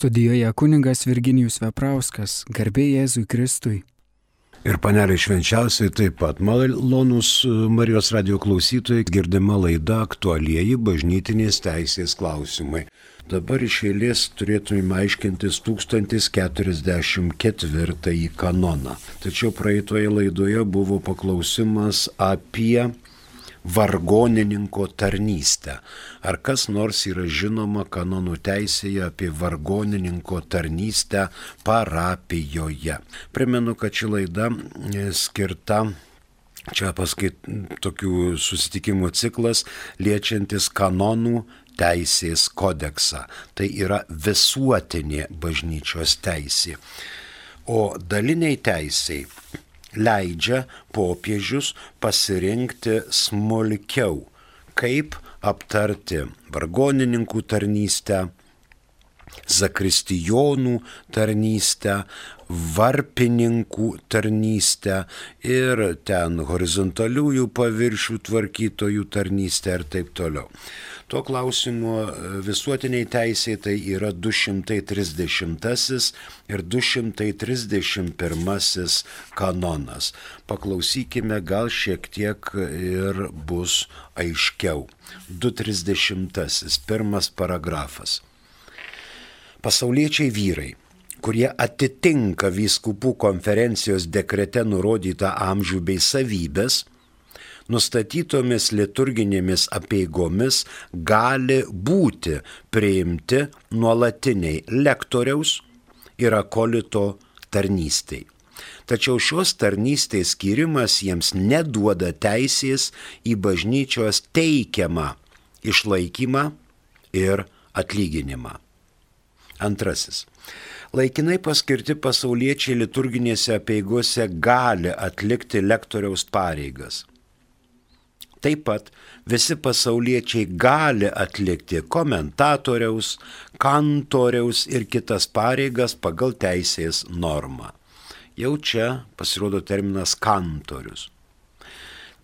Studijoje kunigas Virginijus Veprauskas, garbė Jėzui Kristui. Ir panelė švenčiausiai taip pat. Malonūs Marijos radijo klausytojai, girdima laida aktualieji bažnytinės teisės klausimai. Dabar iš eilės turėtume aiškintis 1044 kanoną. Tačiau praeitoje laidoje buvo paklausimas apie vargonininko tarnystę. Ar kas nors yra žinoma kanonų teisėje apie vargonininko tarnystę parapijoje? Primenu, kad ši laida skirta, čia tokių susitikimų ciklas, liečiantis kanonų teisės kodeksą. Tai yra visuotinė bažnyčios teisė. O daliniai teisiai leidžia popiežius pasirinkti smulkiau, kaip aptarti vargonininkų tarnystę, zakristijonų tarnystę, varpininkų tarnystę ir ten horizontaliųjų paviršių tvarkytojų tarnystę ir taip toliau. Tuo klausimu visuotiniai teisė tai yra 230 ir 231 kanonas. Paklausykime, gal šiek tiek ir bus aiškiau. 230, pirmas paragrafas. Pasauliečiai vyrai, kurie atitinka vyskupų konferencijos dekrete nurodytą amžių bei savybės, nustatytomis liturginėmis apeigomis gali būti priimti nuolatiniai lektoriaus ir akolito tarnystei. Tačiau šios tarnystės skyrimas jiems neduoda teisės į bažnyčios teikiamą išlaikymą ir atlyginimą. Antrasis. Laikinai paskirti pasauliečiai liturginėse apeigose gali atlikti lektoriaus pareigas. Taip pat visi pasauliečiai gali atlikti komentatoriaus, kantoriaus ir kitas pareigas pagal teisės normą. Jau čia pasirodo terminas kantorius.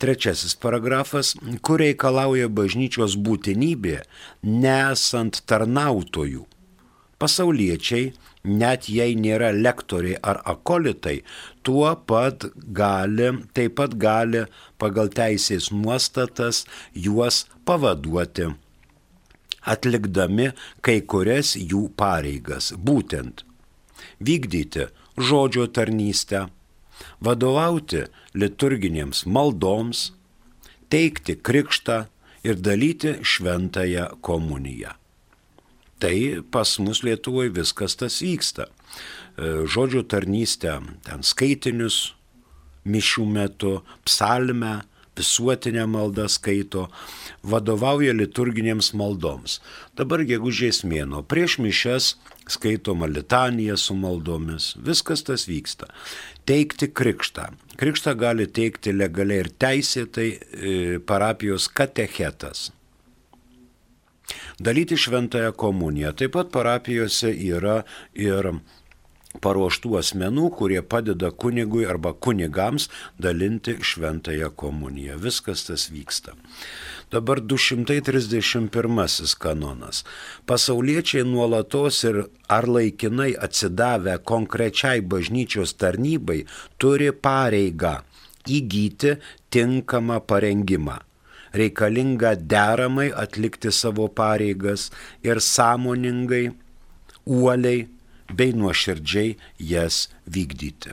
Trečiasis paragrafas, kur reikalauja bažnyčios būtinybė, nesant tarnautojų. Pasauliečiai, net jei nėra lektoriai ar akolitai, taip pat gali pagal teisės nuostatas juos pavaduoti, atlikdami kai kurias jų pareigas, būtent vykdyti žodžio tarnystę, vadovauti liturginėms maldoms, teikti krikštą ir dalyti šventąją komuniją. Tai pas mus Lietuvoje viskas tas vyksta. Žodžio tarnystę, ten skaitinius mišių metu, psalmę, visuotinę maldą skaito, vadovauja liturginėms maldoms. Dabar gegužės mėnuo, prieš mišias skaitoma litanija su maldomis, viskas tas vyksta. Teikti krikštą. Krikštą gali teikti legaliai ir teisėtai parapijos katechetas. Dalyti šventąją komuniją. Taip pat parapijose yra ir paruoštų asmenų, kurie padeda kunigui arba kunigams dalinti šventąją komuniją. Viskas tas vyksta. Dabar 231 kanonas. Pasauliečiai nuolatos ir ar laikinai atsidavę konkrečiai bažnyčios tarnybai turi pareigą įgyti tinkamą parengimą, reikalinga deramai atlikti savo pareigas ir sąmoningai, uoliai bei nuoširdžiai jas vykdyti.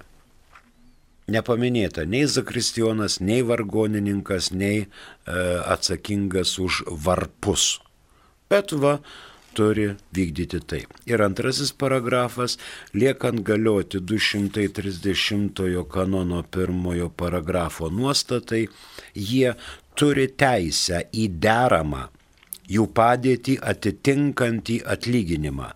Nepaminėta nei zakristijonas, nei vargonininkas, nei atsakingas už varpus. Bet turi vykdyti tai. Ir antrasis paragrafas, liekant galioti 230 kanono pirmojo paragrafo nuostatai, jie turi teisę į deramą, jų padėtį atitinkantį atlyginimą,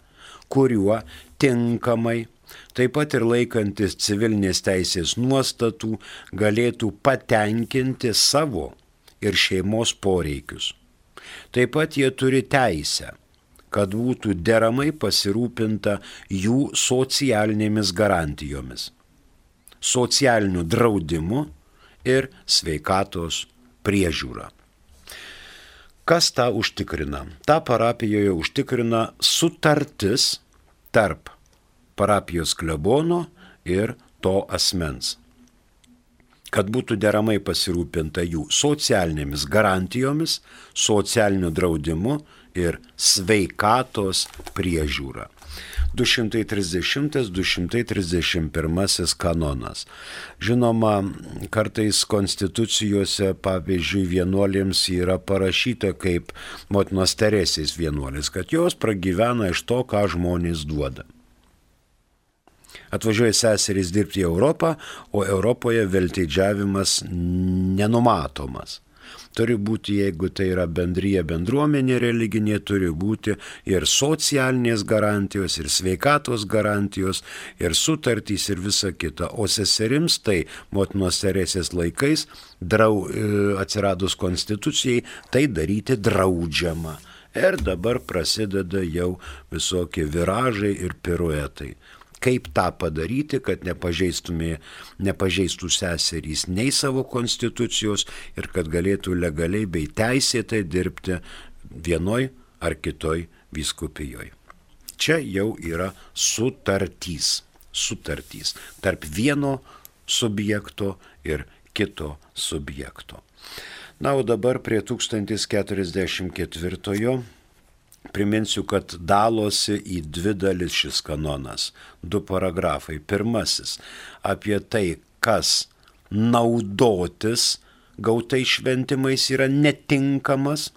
kuriuo tinkamai, taip pat ir laikantis civilinės teisės nuostatų, galėtų patenkinti savo ir šeimos poreikius. Taip pat jie turi teisę, kad būtų deramai pasirūpinta jų socialinėmis garantijomis, socialiniu draudimu ir sveikatos priežiūra. Kas tą užtikrina? Ta parapijoje užtikrina sutartis tarp parapijos klebono ir to asmens, kad būtų deramai pasirūpinta jų socialinėmis garantijomis, socialiniu draudimu ir sveikatos priežiūra. 230-231 kanonas. Žinoma, kartais konstitucijose, pavyzdžiui, vienuolėms yra parašyta kaip motinos Teresės vienuolės, kad jos pragyvena iš to, ką žmonės duoda. Atvažiuoja seserys dirbti į Europą, o Europoje veltėdžiavimas nenumatomas. Turi būti, jeigu tai yra bendryje, bendruomenė religinė, turi būti ir socialinės garantijos, ir sveikatos garantijos, ir sutartys, ir visa kita. O seserims tai motinos Teresės laikais, atsiradus konstitucijai, tai daryti draudžiama. Ir dabar prasideda jau visokie viražai ir piruetai. Kaip tą padaryti, kad nepažeistų seserys nei savo konstitucijos ir kad galėtų legaliai bei teisėtai dirbti vienoj ar kitoj vyskupijoje. Čia jau yra sutartys tarp vieno subjekto ir kito subjekto. Na, o dabar prie 1044. Priminsiu, kad dalosi į dvi dalis šis kanonas, 2 paragrafai. Pirmasis apie tai, kas naudotis gautais šventimais yra netinkamas.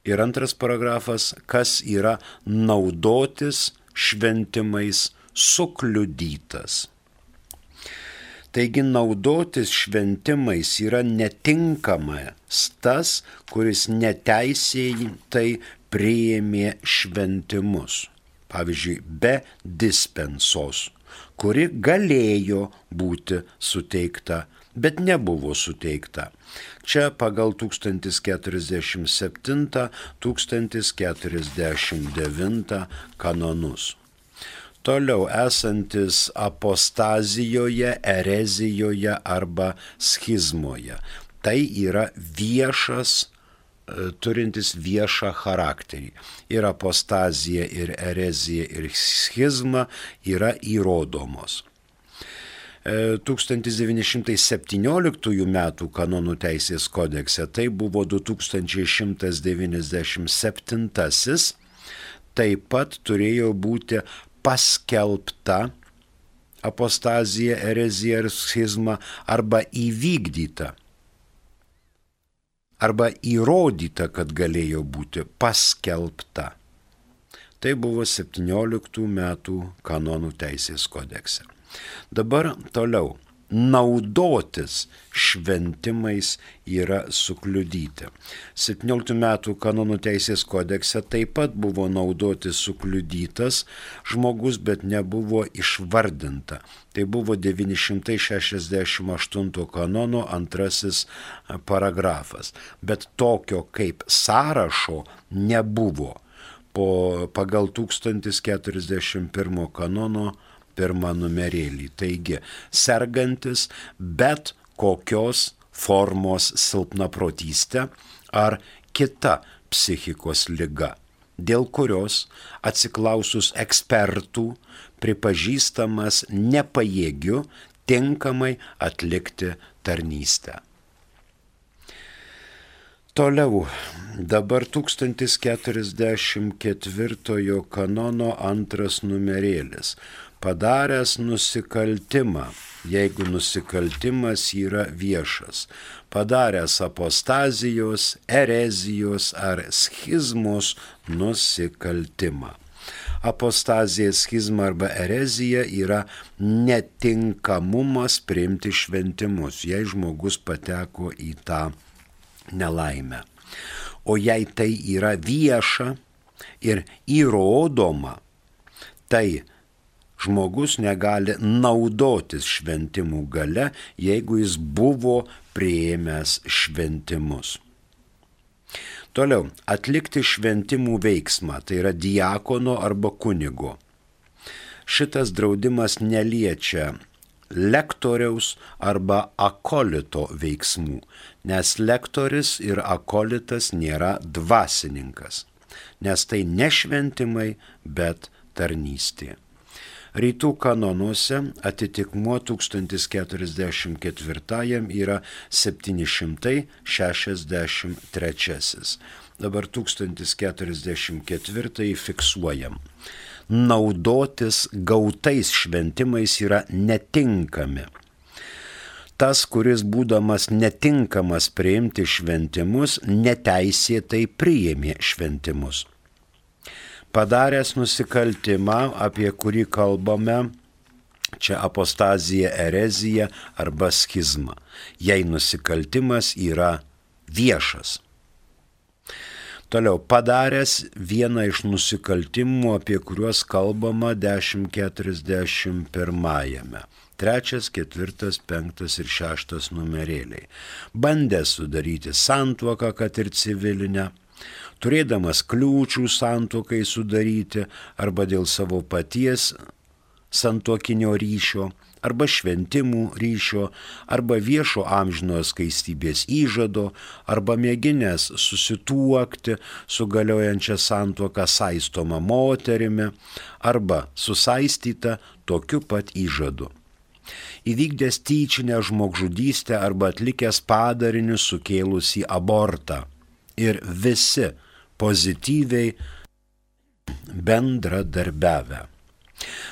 Ir 2 paragrafas, kas yra naudotis šventimais sukliudytas. Taigi naudotis šventimais yra netinkamas tas, kuris neteisėtai priėmė šventimus. Pavyzdžiui, be dispensos, kuri galėjo būti suteikta, bet nebuvo suteikta. Čia pagal 1047-1049 kanonus. Toliau esantis apostazijoje, erezijoje arba schizmoje. Tai yra viešas, turintis viešą charakterį. Ir apostazija, ir erezija, ir schizma yra įrodomos. 1917 metų kanonų teisės kodekse tai buvo 2197, taip pat turėjo būti paskelbta apostazija, erezija ir schizma arba įvykdyta, arba įrodyta, kad galėjo būti paskelbta. Tai buvo 17 metų kanonų teisės kodekse. Dabar toliau. Naudotis šventimais yra sukliudyti. 17 metų kanonų teisės kodekse taip pat buvo naudotis sukliudytas žmogus, bet nebuvo išvardinta. Tai buvo 968 kanono 2 paragrafas. Bet tokio kaip sąrašo nebuvo pagal 1041 kanono 1 numerėlį. Taigi, sergantis bet kokios formos silpnaprotystė ar kita psichikos liga, dėl kurios atsiklausus ekspertų pripažįstamas nepajėgiu tinkamai atlikti tarnystę. Toliau, dabar 1044 kanono 2 numerėlis. Padaręs nusikaltimą, jeigu nusikaltimas yra viešas, padaręs apostazijos, erezijos ar schizmos nusikaltimą. Apostazija, schizma arba erezija yra netinkamumas priimti šventimus, jei žmogus pateko į tą nelaimę. O jei tai yra vieša ir įrodoma, tai žmogus negali naudotis šventimų gale, jeigu jis buvo priėmęs šventimus. Toliau, atlikti šventimų veiksmą, tai yra diakono arba kunigo. Šitas draudimas neliečia lektoriaus arba akolito veiksmų, nes lektoris ir akolitas nėra dvasininkas, nes tai ne šventimai, bet tarnystė. Rytų kanonuose atitikmuo 1044 yra 763. Dabar 1044 fiksuojam. Naudotis gautais šventimais yra netinkami. Tas, kuris būdamas netinkamas priimti šventimus, neteisėtai priėmė šventimus. Padaręs nusikaltimą, apie kurį kalbame, čia apostazija, erezija arba schizma, jei nusikaltimas yra viešas. Toliau, padaręs vieną iš nusikaltimų, apie kuriuos kalbama 1041. 3, 4, 5 ir 6 numerėliai. Bandęs sudaryti santuoką, kad ir civilinę, turėdamas kliūčių santuokai sudaryti arba dėl savo paties santuokinio ryšio, arba šventimų ryšio, arba viešo amžinojo skaistybės įžado, arba mėginęs susituokti su galiojančia santuoka saistoma moterimi, arba susaistyta tokiu pat įžadu. Įvykdęs tyčinę žmogžudystę arba atlikęs padarinius sukėlusį abortą ir visi pozityviai bendradarbiavę.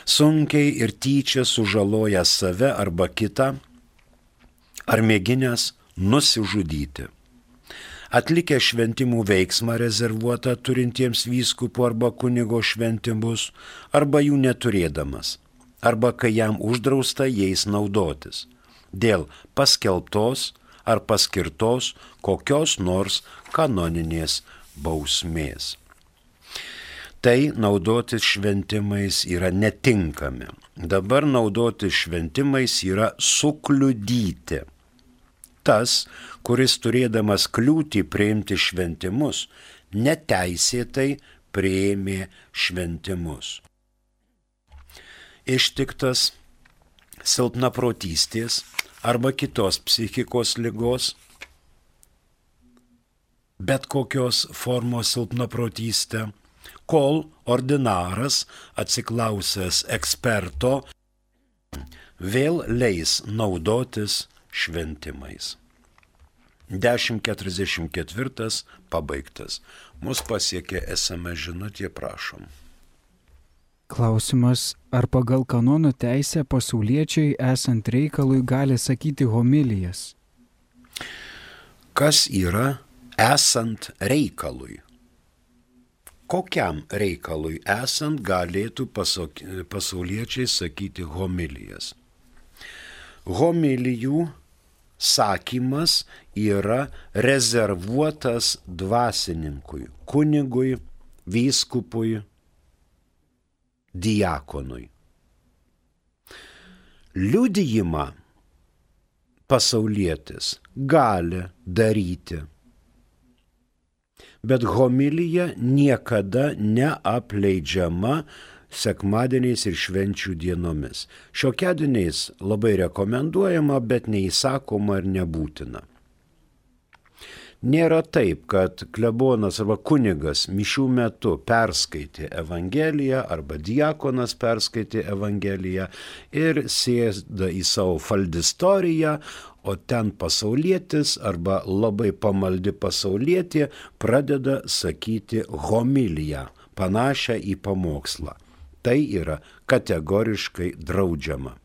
Sunkiai ir tyčia sužalojęs save arba kitą, ar mėginęs nusižudyti. Atlikę šventimų veiksmą rezervuotą turintiems vyskupų arba kunigo šventimus, arba jų neturėdamas, arba kai jam uždrausta jais naudotis, dėl paskelbtos ar paskirtos kokios nors kanoninės bausmės. Tai naudotis šventimais yra netinkami. Dabar naudotis šventimais yra sukliudyti. Tas, kuris turėdamas kliūtį priimti šventimus, neteisėtai priėmė šventimus. Ištiktas silpnaprotystės arba kitos psichikos ligos, bet kokios formos silpnaprotystė, kol ordinaras, atsiklausęs eksperto, vėl leis naudotis šventimais. 1044 pabaigtas. Mus pasiekė SMS žinutė, prašom. Klausimas, ar pagal kanonų teisę pasauliečiai esant reikalui gali sakyti homilijas? Kas yra esant reikalui? Kokiam reikalui esant galėtų pasauliečiai sakyti homilijas? Homilijų sakymas yra rezervuotas dvasininkui, kunigui, vyskupui, diakonui. Liudijimą pasaulietis gali daryti, bet homilija niekada neapleidžiama sekmadieniais ir švenčių dienomis. Šiokiadieniais labai rekomenduojama, bet neįsakoma ir nebūtina. Nėra taip, kad klebonas arba kunigas mišių metu perskaitė Evangeliją arba diakonas perskaitė Evangeliją ir sėda į savo faldistoriją, o ten pasaulietis arba labai pamaldi pasaulietė pradeda sakyti homiliją, panašią į pamokslą. Tai yra kategoriškai draudžiama.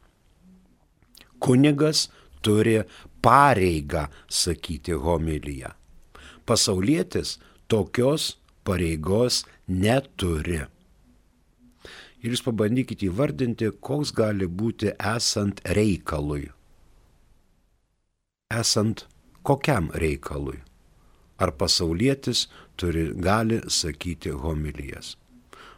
Kunigas turi pareigą sakyti homiliją. Pasaulietis tokios pareigos neturi. Ir jūs pabandykite įvardinti, koks gali būti esant reikalui. Esant kokiam reikalui? Ar pasaulietis gali sakyti homilijas?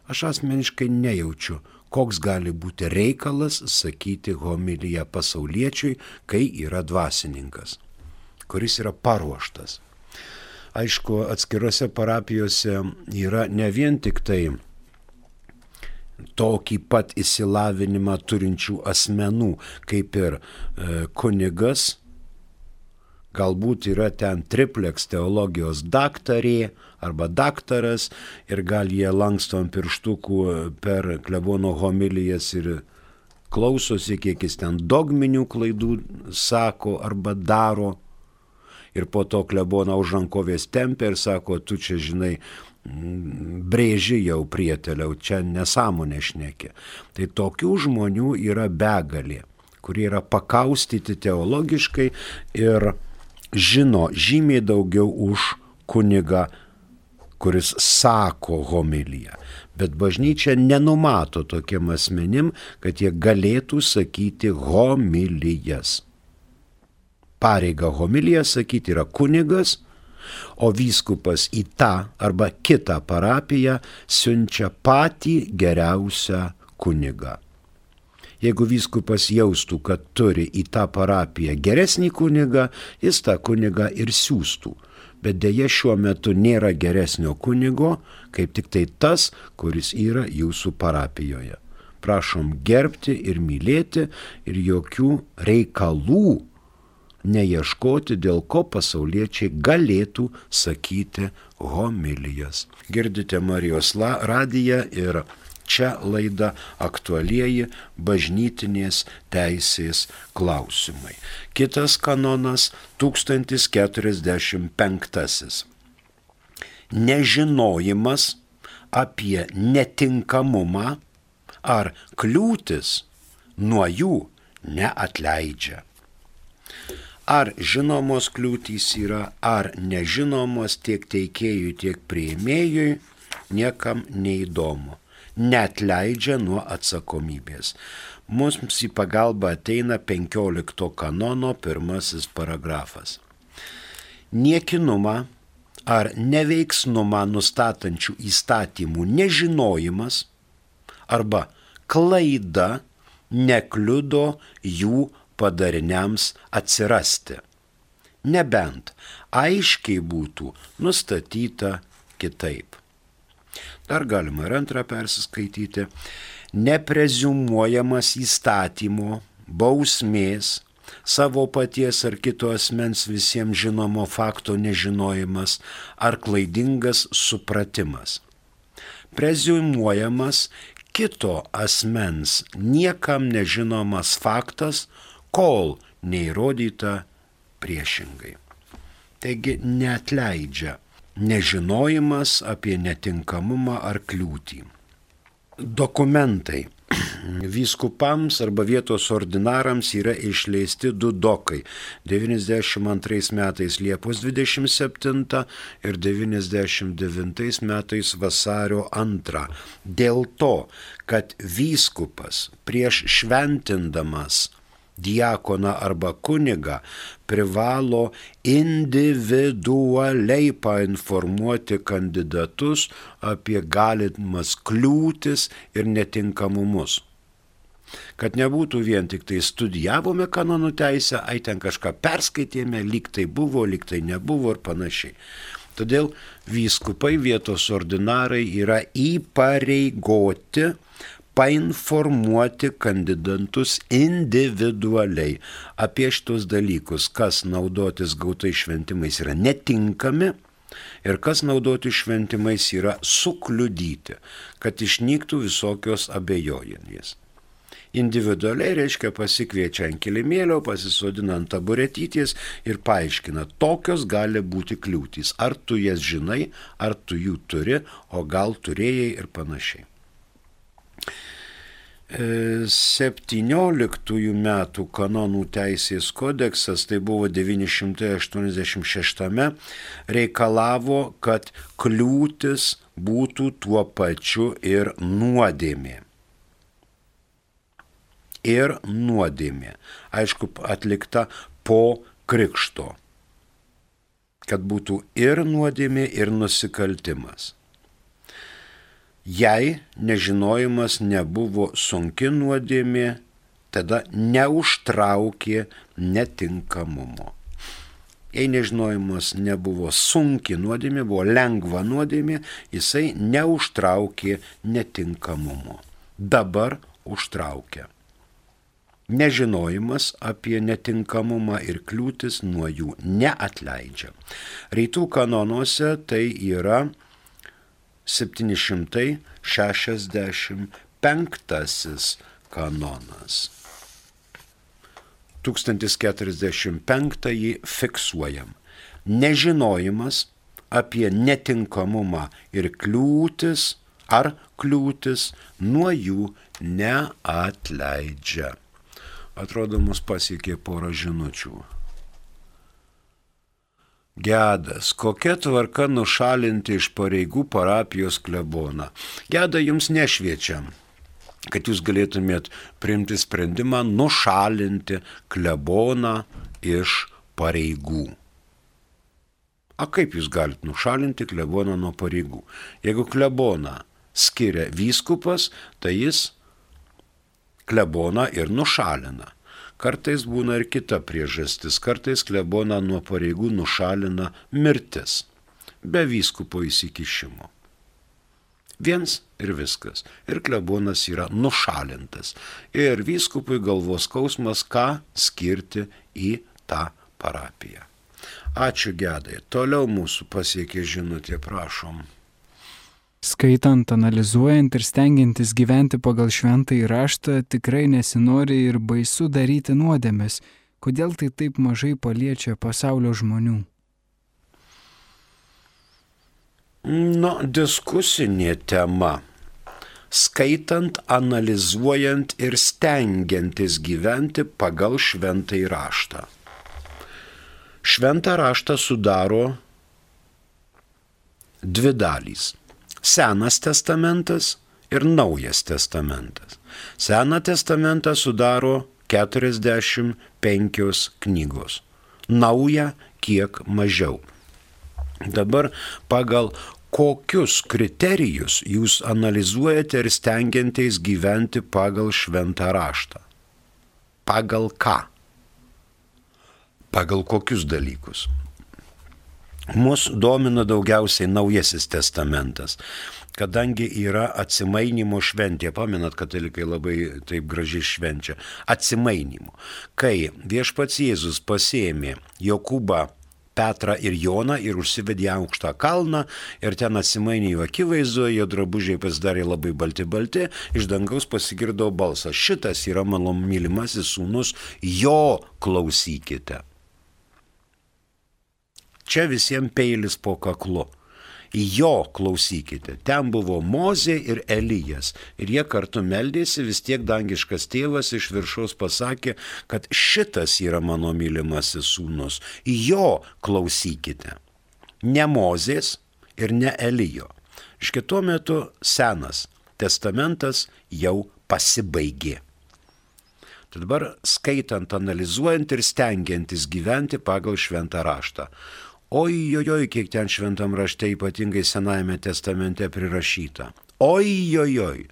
Aš asmeniškai nejaučiu, koks gali būti reikalas sakyti homiliją pasauliečiui, kai yra dvasininkas, kuris yra paruoštas. Aišku, atskirose parapijose yra ne vien tik tai tokį pat išsilavinimą turinčių asmenų, kaip ir kunigas, Galbūt yra ten tripleks teologijos daktarė arba daktaras ir gal jie lanksto ant pirštukų per klebono homilijas ir klausosi, kiek jis ten dogminių klaidų sako arba daro. Ir po to kleboną už rankovės tempia ir sako, tu čia žinai, brėži jau prieteliau, čia nesąmonė šnekė. Tai tokių žmonių yra begalė, kurie yra pakaustyti teologiškai ir žino žymiai daugiau už kunigą, kuris sako homiliją. Bet bažnyčia nenumato tokiem asmenim, kad jie galėtų sakyti homilijas. Pareiga homiliją sakyti yra kunigas, o vyskupas į tą arba kitą parapiją siunčia patį geriausią kunigą. Jeigu vyskupas jaustų, kad turi į tą parapiją geresnį kunigą, jis tą kunigą ir siųstų. Bet dėja šiuo metu nėra geresnio kunigo, kaip tik tai tas, kuris yra jūsų parapijoje. Prašom gerbti ir mylėti ir jokių reikalų neieškoti, dėl ko pasauliečiai galėtų sakyti homilijas. Girdite Marijos radiją ir čia laida aktualieji bažnytinės teisės klausimai. Kitas kanonas 1045. Nežinojimas apie netinkamumą ar kliūtis nuo jų neatleidžia. Ar žinomos kliūtys yra, ar nežinomos tiek teikėjui, tiek priėmėjui, niekam neįdomu. Neatleidžia nuo atsakomybės. Mums į pagalbą ateina 15 kanono 1 paragrafas. Niekinumą ar neveiksnumą nustatančių įstatymų nežinojimas arba klaida nekliudo jų padariniams atsirasti, nebent aiškiai būtų nustatyta kitaip. Dar galima ir antrą persiskaityti. Nepreziumuojamas įstatymo, bausmės, savo paties ar kito asmens visiems žinomo fakto nežinojimas ar klaidingas supratimas. Preziumuojamas kito asmens niekam nežinomas faktas, kol neįrodyta priešingai. Taigi neatleidžia nežinojimas apie netinkamumą ar kliūtį. Dokumentai. Vyskupams arba vietos ordinarams yra išleisti 2 dokai. 92 metais Liepos 27 ir 99 metais vasario 2. Dėl to, kad vyskupas prieš šventindamas diakoną arba kunigą privalo individualiai painformuoti kandidatus apie galimas kliūtis ir netinkamumus. Kad nebūtų vien tik tai studijavome kanonų teisę, ten kažką perskaitėme, lyg tai buvo, lyg tai nebuvo ir panašiai. Todėl vyskupai, vietos ordinarai yra įpareigoti painformuoti kandidatus individualiai apie šitos dalykus, kas naudotis gautais šventimais yra netinkami ir kas naudoti šventimais yra sukliudyti, kad išnyktų visokios abejonės. Individualiai reiškia pasikviečia ant kilimėlio, pasisodina ant taburetytės ir paaiškina, tokios gali būti kliūtys. Ar tu jas žinai, ar tu jų turi, o gal turėjai ir panašiai. 17 metų kanonų teisės kodeksas, tai buvo 986, reikalavo, kad kliūtis būtų tuo pačiu ir nuodėmė. Ir nuodėmė. Aišku, atlikta po krikšto. Kad būtų ir nuodėmė, ir nusikaltimas. Jei nežinojimas nebuvo sunki nuodėmė, tada neužtraukė netinkamumo. Jei nežinojimas nebuvo sunki nuodėmė, buvo lengva nuodėmė, jisai neužtraukė netinkamumo. Dabar užtraukia. Nežinojimas apie netinkamumą ir kliūtis nuo jų neatleidžia. Rytų kanonuose tai yra 765 kanonas. 1045 fiksuojam. Nežinojimas apie netinkamumą ir kliūtis nuo jų neatleidžia. Atrodo, mus pasiekė porą žinučių. Gedas, kokia tvarka nušalinti iš pareigų parapijos kleboną? Geda jums nešviečiam, kad jūs galėtumėt priimti sprendimą nušalinti kleboną iš pareigų. A kaip jūs galite nušalinti kleboną nuo pareigų? Jeigu kleboną skiria vyskupas, tai jis kleboną ir nušalina. Kartais būna ir kita priežastis, kartais kleboną nuo pareigų nušalina mirtis, be vyskupo įsikišimo. Viens ir viskas. Ir klebonas yra nušalintas. Ir vyskupui galvos skausmas, ką skirti į tą parapiją. Ačiū, Gedai. Toliau mūsų pasiekė žinutė, prašom. Skaitant, analizuojant ir stengiantis gyventi pagal šventąjį raštą, tikrai nesinori ir baisu daryti nuodėmes. Kodėl tai taip mažai paliečia pasaulio žmonių? Diskusinė tema. Skaitant, analizuojant ir stengiantis gyventi pagal šventąjį raštą. Šventą raštą sudaro dvi dalys. Senas testamentas ir Naujas testamentas. Seną testamentą sudaro 45 knygos. Naują kiek mažiau. Dabar pagal kokius kriterijus jūs analizuojate ir stengianteis gyventi pagal šventą raštą? Pagal ką? Pagal kokius dalykus? Mus domina daugiausiai Naujasis testamentas, kadangi yra atsimainimo šventė. Pamenat, katalikai labai taip gražiai švenčia. Atsimainimo. Kai viešpats Jėzus pasiėmė Jokūbą, Petrą ir Joną ir užsivedė aukštą kalną ir ten atsimainė jų akivaizdoje, jo drabužiai pasidarė labai balti, iš dangaus pasigirdo balsas. Šitas yra mano mylimasis sūnus, jo klausykite. Čia visiems peilis po kaklu. Jo klausykite. Ten buvo Mozė ir Elijas. Ir jie kartu meldėsi, vis tiek dangiškas tėvas iš viršaus pasakė, kad šitas yra mano mylimasis sūnus. Jo klausykite. Ne Mozės ir ne Elijo. Iš tuo metu senas testamentas jau pasibaigė. Tai dabar skaitant, analizuojant ir stengiantis gyventi pagal šventą raštą. Ojojoj, kiek ten šventam rašte, ypatingai Senajame testamente prirašyta. Ojojoj.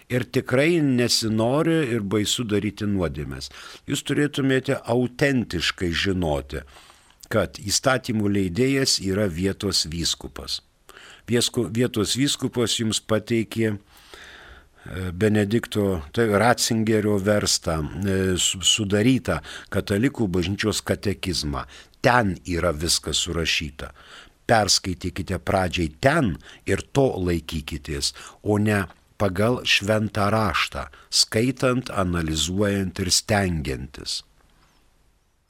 Ir tikrai nesinori ir baisu daryti nuodėmes. Jūs turėtumėte autentiškai žinoti, kad įstatymų leidėjas yra vietos vyskupas. Vietos vyskupas jums pateikė Benedikto, tai Ratzingerio verstą, sudarytą katalikų bažnyčios katekizmą. Ten yra viskas surašyta. Perskaitykite pradžiai ten ir to laikykitės, o ne pagal šventą raštą, skaitant, analizuojant ir stengiantis.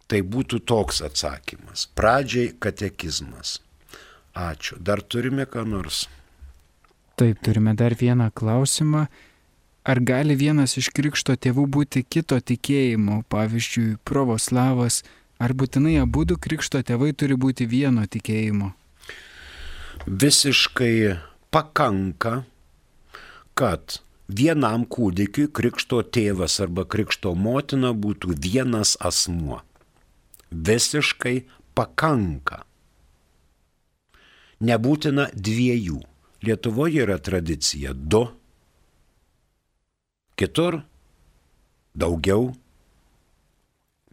Tai būtų toks atsakymas. Pradžiai katekizmas. Ačiū. Dar turime ką nors? Taip, turime dar vieną klausimą. Ar gali vienas iš krikšto tėvų būti kito tikėjimo, pavyzdžiui, pravoslavas, ar būtinai abudu krikšto tėvai turi būti vieno tikėjimo? Visiškai pakanka, kad vienam kūdikiui krikšto tėvas arba krikšto motina būtų vienas asmuo. Visiškai pakanka. Nebūtina dviejų. Lietuvoje yra tradicija 2, kitur daugiau,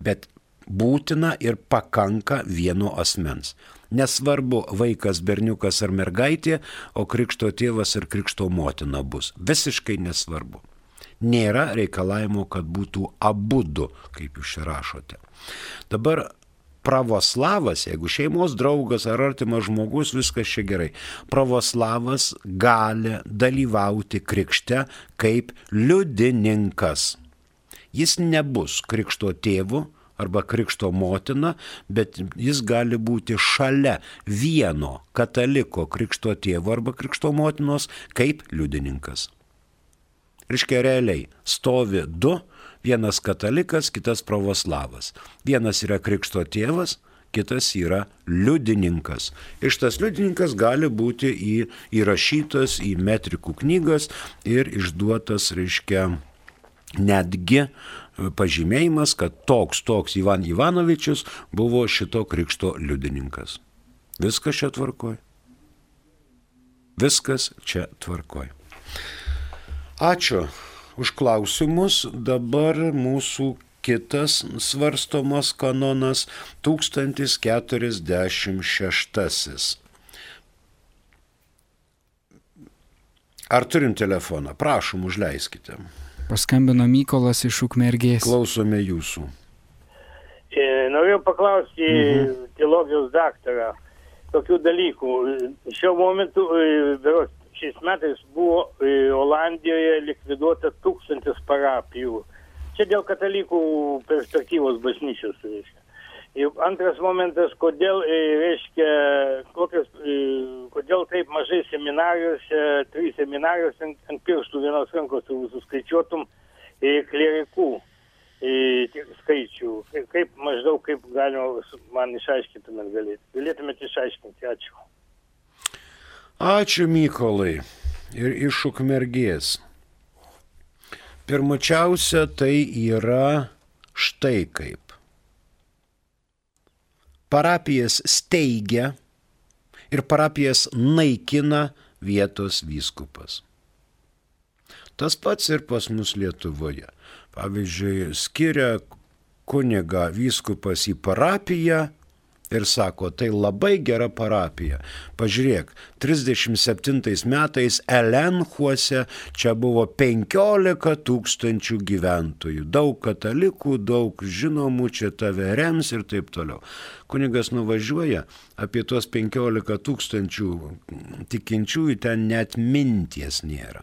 bet būtina ir pakanka vieno asmens. Nesvarbu vaikas, berniukas ar mergaitė, o krikšto tėvas ir krikšto motina bus. Visiškai nesvarbu. Nėra reikalavimo, kad būtų abudu, kaip jūs čia rašote. Dabar pravoslavas, jeigu šeimos draugas ar artimas žmogus, viskas čia gerai. Pravoslavas gali dalyvauti krikšte kaip liudininkas. Jis nebus krikšto tėvu arba krikšto motina, bet jis gali būti šalia vieno kataliko krikšto tėvo arba krikšto motinos kaip liudininkas. Reiškia, realiai stovi du, vienas katalikas, kitas pravoslavas. Vienas yra krikšto tėvas, kitas yra liudininkas. Ir šitas liudininkas gali būti įrašytas į metrikų knygas ir išduotas, reiškia, netgi pažymėjimas, kad toks Ivan Ivanovičius buvo šito krikšto liudininkas. Viskas čia tvarkoj. Viskas čia tvarkoj. Ačiū už klausimus. Dabar mūsų kitas svarstomas kanonas 1046. Ar turim telefoną? Prašom, užleiskite. Paskambino Mykolas iš Ukmergės. Klausome jūsų. Norėjau paklausti teologijos daktarą tokių dalykų. Šiuo momentu, šiais metais buvo Olandijoje likviduota 1000 parapijų. Čia dėl katalikų perspektyvos bažnyčios, reiškia. Ir antras momentas, kodėl taip mažai seminarijose, 3 seminarijose ant pirštų vienos rankos suskaičiuotum klerikų skaičių. Kaip galima man išaiškintumėt galėtumėt išaiškinti. Ačiū. Ačiū, Mykolai. Ir iš Ukmergės. Pirmučiausia, tai yra štai kaip. Parapijas steigia ir parapijas naikina vietos vyskupas. Tas pats ir pas mus Lietuvoje. Pavyzdžiui, skiria kunigą vyskupas į parapiją ir sako, tai labai gera parapija. Pažiūrėk, 37 metais Elenchuose čia buvo 15 000 gyventojų. Daug katalikų, daug žinomų, čia tave rems ir taip toliau. Kunigas nuvažiuoja, apie tuos 15 000 tikinčiųjų ten net minties nėra.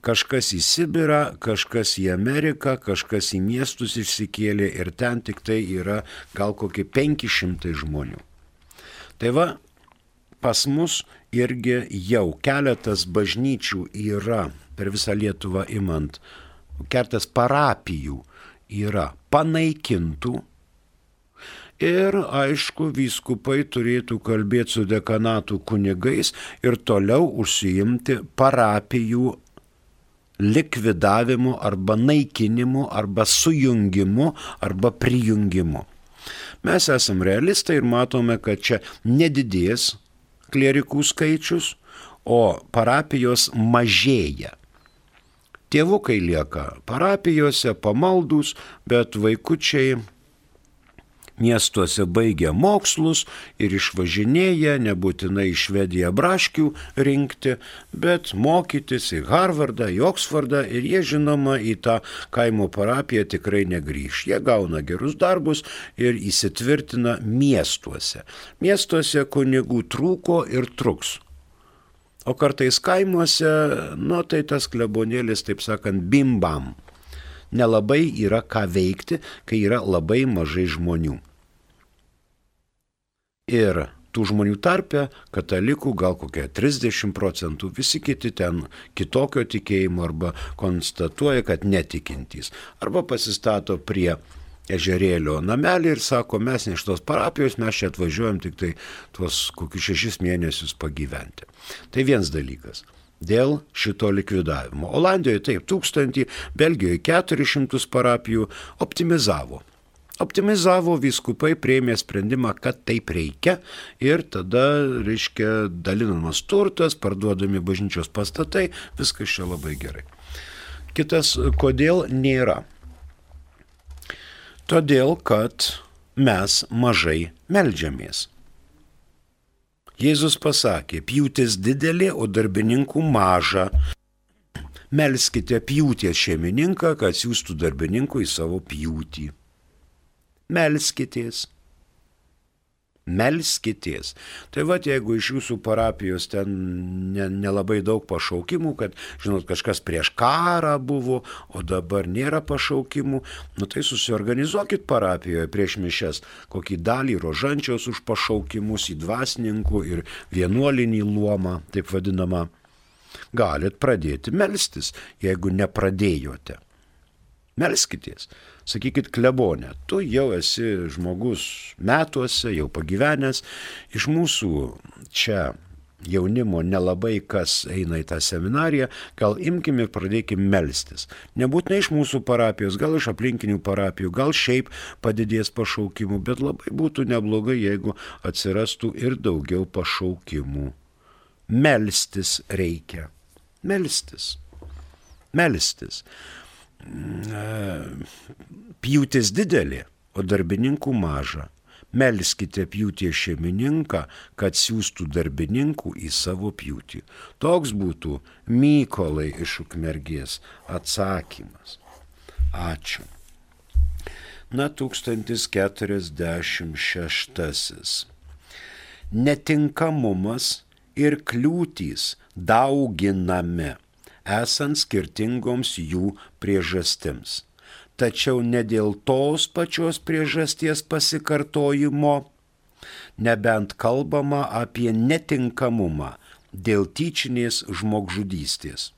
Kažkas į Sibirą, kažkas į Ameriką, kažkas į miestus išsikėlė ir ten tik tai yra gal kokie 500 žmonių. Tai va, pas mus irgi jau keletas bažnyčių yra, per visą Lietuvą imant, keletas parapijų yra panaikintų ir, aišku, vyskupai turėtų kalbėti su dekanatų kunigais ir toliau užsiimti parapijų likvidavimu arba naikinimu arba sujungimu arba prijungimu. Mes esam realistai ir matome, kad čia nedidės klierikų skaičius, o parapijos mažėja. Tėvukai lieka parapijose, pamaldus, bet vaikučiai miestuose baigia mokslus ir išvažinėja, nebūtinai į Švediją braškių rinkti, bet mokytis į Harvardą, į Oksfordą ir jie, žinoma, į tą kaimo parapiją tikrai negrįš. Jie gauna gerus darbus ir įsitvirtina miestuose. Miestuose kunigų trūko ir truks. O kartais kaimuose, tai tas klebonėlis, taip sakant, bimbam. Nelabai yra ką veikti, kai yra labai mažai žmonių. Ir tų žmonių tarpe katalikų gal kokie 30%, visi kiti ten kitokio tikėjimo arba konstatuoja, kad netikintys. Arba pasistato prie ežerėlio namelį ir sako, mes ne iš tos parapijos, mes čia atvažiuojam tik tai tuos kokius 6 mėnesius pagyventi. Tai vienas dalykas. Dėl šito likvidavimo. Olandijoje taip 1000, Belgijoje 400 parapijų optimizavo. Optimizavo, vyskupai priėmė sprendimą, kad taip reikia ir tada, reiškia, dalinamas turtas, parduodami bažnyčios pastatai, viskas čia labai gerai. Kitas, kodėl nėra? Todėl, kad mes mažai meldžiamės. Jėzus pasakė, pjūtis didelė, o darbininkų maža. Melskite pjūties šeimininką, kad siųstų darbininkų į savo pjūtį. Melskitės. Melskitės. Tai va, jeigu iš jūsų parapijos ten nelabai daug pašaukimų, kad, žinot, kažkas prieš karą buvo, o dabar nėra pašaukimų, tai susiorganizuokit parapijoje prieš mišias kokį dalį rožančiaus už pašaukimus į dvasininkų ir vienuolinį luomą, taip vadinamą. Galit pradėti melstis, jeigu nepradėjote. Melskitės. Sakykit, klebone, tu jau esi žmogus metuose, jau pagyvenęs, iš mūsų čia jaunimo nelabai kas eina į tą seminariją, gal imkim ir pradėkim melstis. Nebūtinai iš mūsų parapijos, gal iš aplinkinių parapijų, gal šiaip padidės pašaukimų, bet labai būtų neblogai, jeigu atsirastų ir daugiau pašaukimų. Melstis reikia. Melstis. Melstis. Pjūtis didelė, o darbininkų maža. Melskite pjūties šeimininką, kad siųstų darbininkų į savo pjūtį. Toks būtų Mykolai iš Ukmergės atsakymas. Ačiū. 1046. Netinkamumas ir kliūtys dauginami, esant skirtingoms jų priežastims. Tačiau ne dėl tos pačios priežasties pasikartojimo, nebent kalbama apie netinkamumą dėl tyčinės žmogžudystės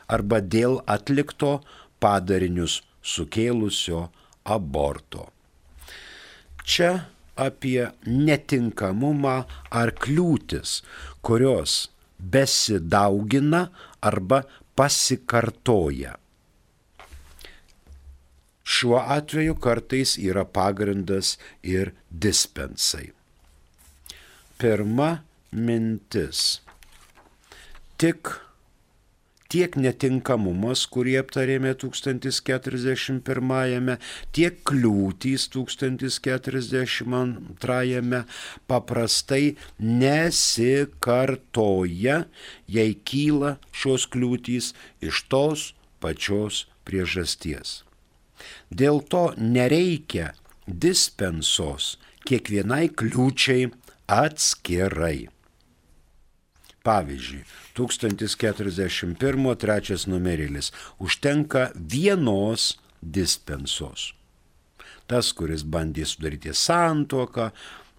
arba dėl atlikto padarinius sukėlusio aborto. Čia apie netinkamumą ar kliūtis, kurios besidaugina arba pasikartoja. Šiuo atveju kartais yra pagrindas ir dispensai. Pirma mintis. Tiek netinkamumas, kurį aptarėme 1041, tiek kliūtys 1042 paprastai nesikartoja, jei kyla šios kliūtys iš tos pačios priežasties. Dėl to nereikia dispensos kiekvienai kliūčiai atskirai. Pavyzdžiui, 1041 trečias numerėlis užtenka vienos dispensos. Tas, kuris bandė sudaryti santuoką,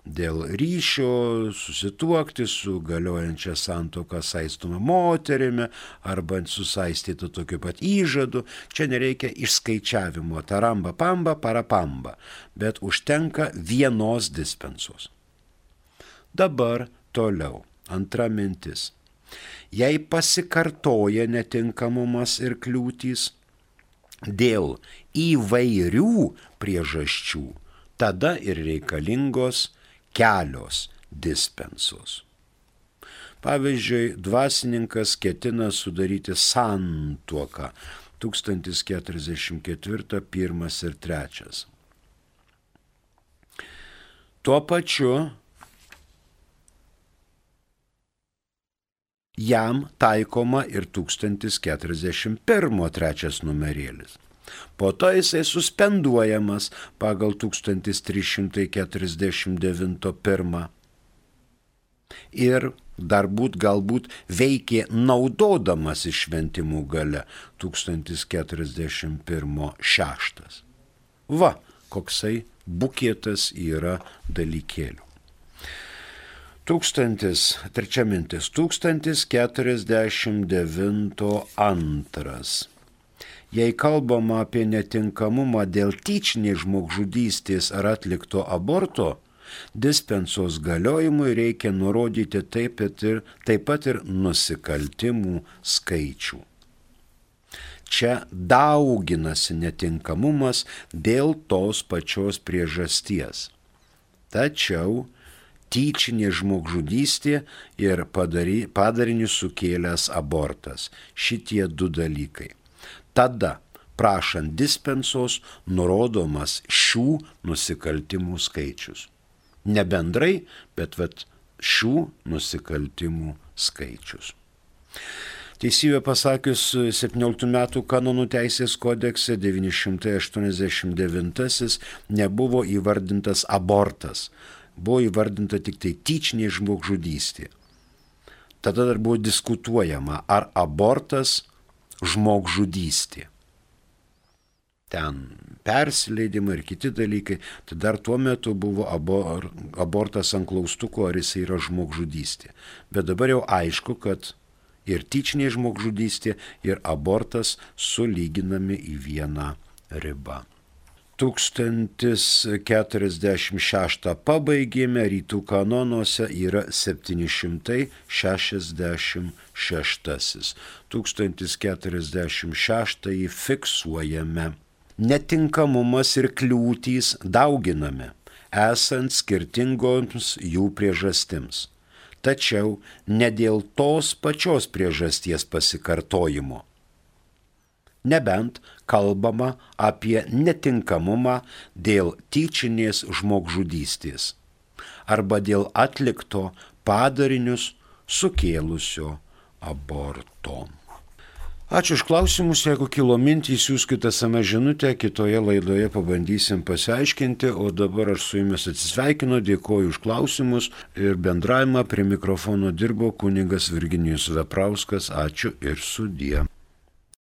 dėl ryšio susituokti su galiojančia santuoka saistoma moterimi arba susaistyta tokiu pat įžadu, čia nereikia išskaičiavimo taramba pamba parapamba, bet užtenka vienos dispensos. Dabar toliau. Antra mintis. Jei pasikartoja netinkamumas ir kliūtys dėl įvairių priežasčių, tada ir reikalingos kelios dispensos. Pavyzdžiui, dvasininkas ketina sudaryti santuoką 1044, 1 ir 3. Tuo pačiu jam taikoma ir 1041 trečias numerėlis. Po to jisai suspenduojamas pagal 1349 ir galbūt veikė naudodamas išventimų gale 1041 6. Va, koksai bukėtas yra dalykėlių. 1049 2. Jei kalbama apie netinkamumą dėl tyčinės žmogžudystės ar atlikto aborto, dispensos galiojimui reikia nurodyti taip pat ir nusikaltimų skaičių. Čia dauginasi netinkamumas dėl tos pačios priežasties. Tačiau tyčinė žmogžudystė ir padarinius sukėlęs abortas. Šitie du dalykai. Tada, prašant dispensos, nurodomas šių nusikaltimų skaičius. Ne bendrai, bet šių nusikaltimų skaičius. Teisybę pasakius, 17 metų kanonų teisės kodekse 989 nebuvo įvardintas abortas. Buvo įvardinta tik tai tyčinė žmogžudystė. Tada dar buvo diskutuojama, ar abortas žmogžudystė. Ten persileidimai ir kiti dalykai, tai dar tuo metu buvo abortas ant klaustuko, ar jis yra žmogžudystė. Bet dabar jau aišku, kad ir tyčinė žmogžudystė, ir abortas sulyginami į vieną ribą. 1046 pabaigėme, rytų kanonuose yra 766. 1046 fiksuojame. Netinkamumas ir kliūtys dauginami, esant skirtingoms jų priežastims. Tačiau ne dėl tos pačios priežasties pasikartojimo. Nebent kalbama apie netinkamumą dėl tyčinės žmogžudystės arba dėl atlikto padarinius sukėlusio aborto. Ačiū už klausimus, jeigu kilo mintys, siųskite SMS žinutę, kitoje laidoje pabandysim pasiaiškinti, o dabar aš su jumis atsisveikinu, dėkoju už klausimus ir bendravimą. Prie mikrofono dirbo kunigas Virginijus Veprauskas, ačiū ir sudie.